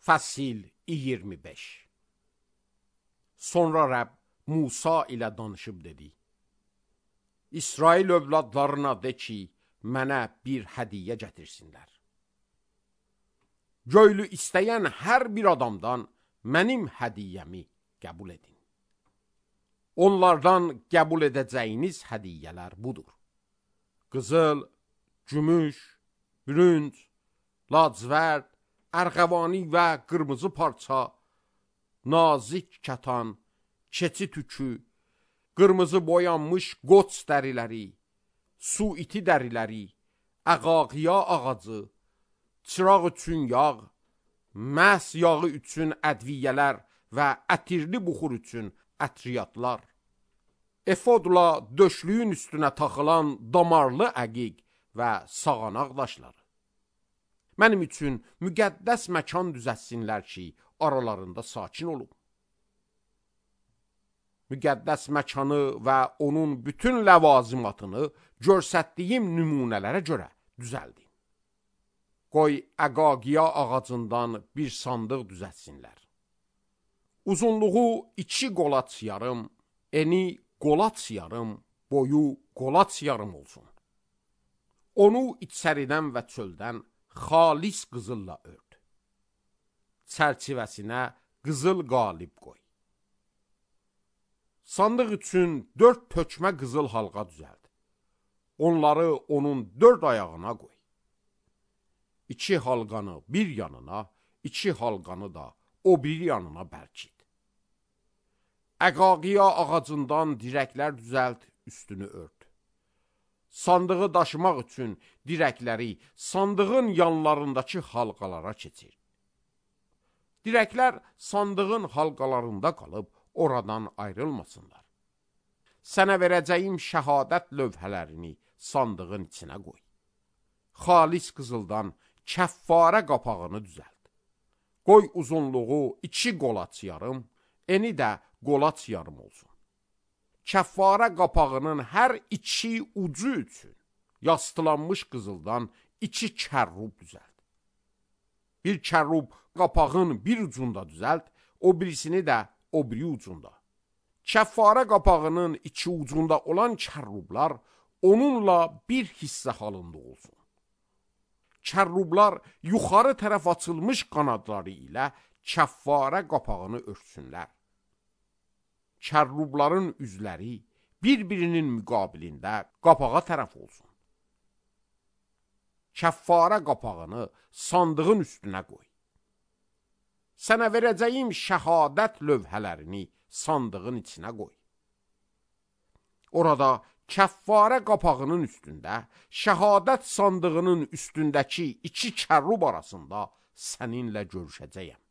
Fəsil 25. Sonra Rəbb Musa ilə danışıb dedi: İsrail övladlarına de ki, mənə bir hədiyyə gətirsinlər. Göylü istəyən hər bir adamdan mənim hədiyyəmi qəbul edin. Onlardan qəbul edəcəyiniz hədiyyələr budur: qızıl, gümüş, bürünc, lacivərd, ərğəvani və qırmızı parça, nazik kətan, keçi tükü, qırmızı boyanmış qoç dəriləri, su iti dəriləri, əqaqiya ağacı, çıraq üçün yağ, məhs yağı üçün ədviyyələr və ətirli buxur üçün ətriyatlar, efodla döşlüyün üstünə taxılan damarlı əqiq və sağanaq daşları. Mənim üçün müqəddəs məkan düzətsinlər ki, aralarında sakin olum. Müqəddəs məkanı və onun bütün ləvazimatını görsətdiyim nümunələrə görə düzəldin. Qoy əqaqiya ağacından bir sandıq düzətsinlər. Uzunluğu 2 qolaç yarım, eni qolaç yarım, boyu qolaç yarım olsun. Onu içəridən və çöldən xalis qızılla ört. Çərçivəsinə qızıl qalib qoy. Sandıq üçün 4 tökmə qızıl halqa düzəld. Onları onun 4 ayağına qoy. 2 halqanı bir yanına, 2 halqanı da o bir yanına bərkit. Əqaqiya ağacından dirəklər düzəld, üstünü ört. Sandığı daşımaq üçün dirəkləri sandığın yanlarındakı halqalara keçir. Dirəklər sandığın halqalarında qalıb, oradan ayrılmasınlar. Sənə verəcəyim şəhadət lövhələrini sandığın içinə qoy. Xalis qızıldan kəffarə qapağını düzəld. Qoy uzunluğu 2 qolaç yarım, eni də qolaç yarım olsun. Kəffarə qapağının hər 2 ucu üçün yastılanmış qızıldan 2 kərrub düzəld. Bir kərrub qapağın bir ucunda düzəld, o birisini də o biri ucunda. Kəffarə qapağının 2 ucunda olan kərrublar onunla bir hissə halında olsun. Kərrublar yuxarı tərəf açılmış qanadları ilə kəffarə qapağını örtsünlər. Kərrubların üzləri bir-birinin müqabilində qapağa tərəf olsun. Kəffarə qapağını sandığın üstünə qoy. Sənə verəcəyim şəhadət lövhələrini sandığın içinə qoy. Orada kəffarə qapağının üstündə, şəhadət sandığının üstündəki 2 kərrub arasında səninlə görüşəcəyəm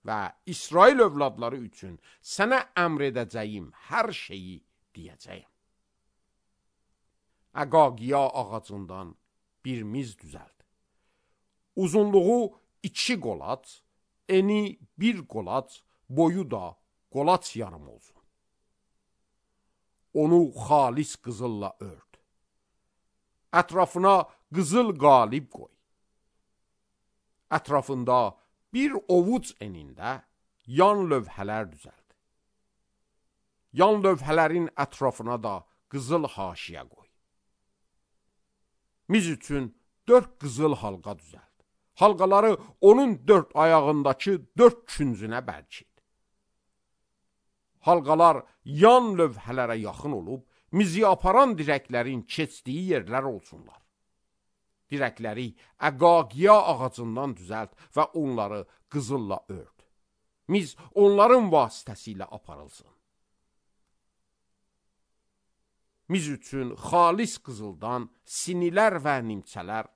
və İsrail övladları üçün sənə əmr edəcəyim hər şeyi deyəcəyəm. Əqaqiya ağacından bir miz düzəld. Uzunluğu 2 qolaç, eni 1 qolaç, boyu da qolaç yarım olsun. Onu xalis qızılla ört. Ətrafına qızıl qalib qoy. Ətrafında bir ovuc enində yan lövhələr düzəld. Yan lövhələrin ətrafına da qızıl haşiyə qoy. Miz üçün 4 qızıl halqa düzəld. Halqaları onun 4 ayağındakı 4 küncünə bərkit. Halqalar yan lövhələrə yaxın olub, mizi aparan dirəklərin keçdiyi yerlər olsunlar. Dirəkləri əqaqiya ağacından düzəlt və onları qızılla ört. Miz onların vasitəsilə aparılsın. Miz üçün xalis qızıldan sinilər və nimçələr,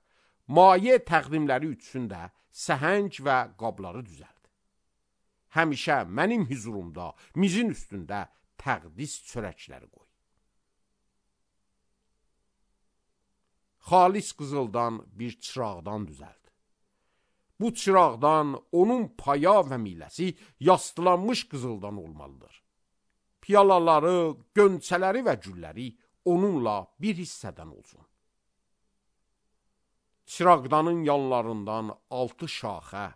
maye təqdimləri üçün də səhəng və qabları düzəld. Həmişə mənim hüzurumda mizin üstündə təqdis çörəkləri qoy. Xalis qızıldan bir çıraqdan düzəld. Bu çıraqdan onun paya və miləsi yastılanmış qızıldan olmalıdır. Piyalaları, gönçələri və gülləri onunla bir hissədən olsun. Çıraqdanın yanlarından 6 şaxə,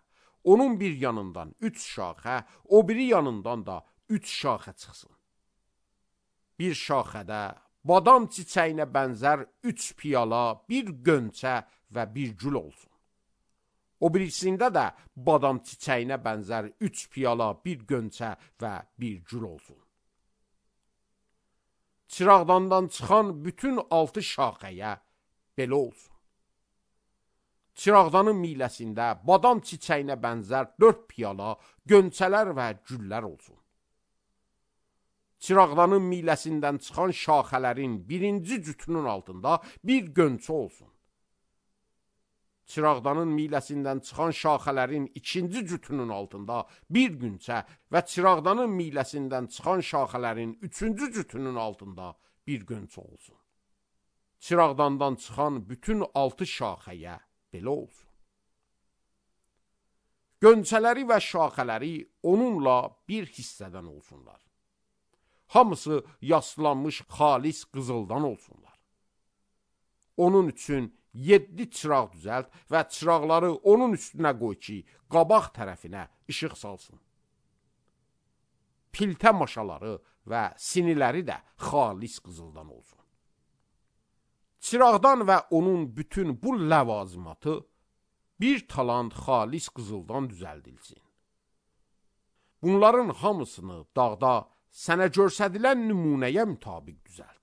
onun bir yanından 3 şaxə, o biri yanından da 3 şaxə çıxsın. Bir şaxədə badam çiçəyinə bənzər 3 piyala, bir gönçə və bir gül olsun. O birisində də badam çiçəyinə bənzər 3 piyala, bir gönçə və bir gül olsun. Çırağdandan çıxan bütün 6 şaxəyə belə olsun. Çırağdanın miləsində badam çiçəyinə bənzər 4 piyala, gönçələr və güllər olsun. Çırağdanın miləsindən çıxan şaxələrin birinci cütünün altında bir gönçə olsun. Çırağdanın miləsindən çıxan şaxələrin ikinci cütünün altında bir gönçə və çırağdanın miləsindən çıxan şaxələrin üçüncü cütünün altında bir gönçə olsun. Çırağdandan çıxan bütün 6 şaxəyə belə olsun. Gönçələri və şaxələri onunla bir hissədən olsunlar. Hamısı yaslanmış xalis qızıldan olsunlar. Onun üçün 7 çıraq düzəlt və çıraqları onun üstünə qoy ki, qabaq tərəfinə işıq salsın. Piltə maşaları və siniləri də xalis qızıldan olsun. Çıraqdan və onun bütün bu ləvazimatı bir talant xalis qızıldan düzəldilsin. Bunların hamısını dağda sənə göstərilən nümunəyə mütabiq düzəlt.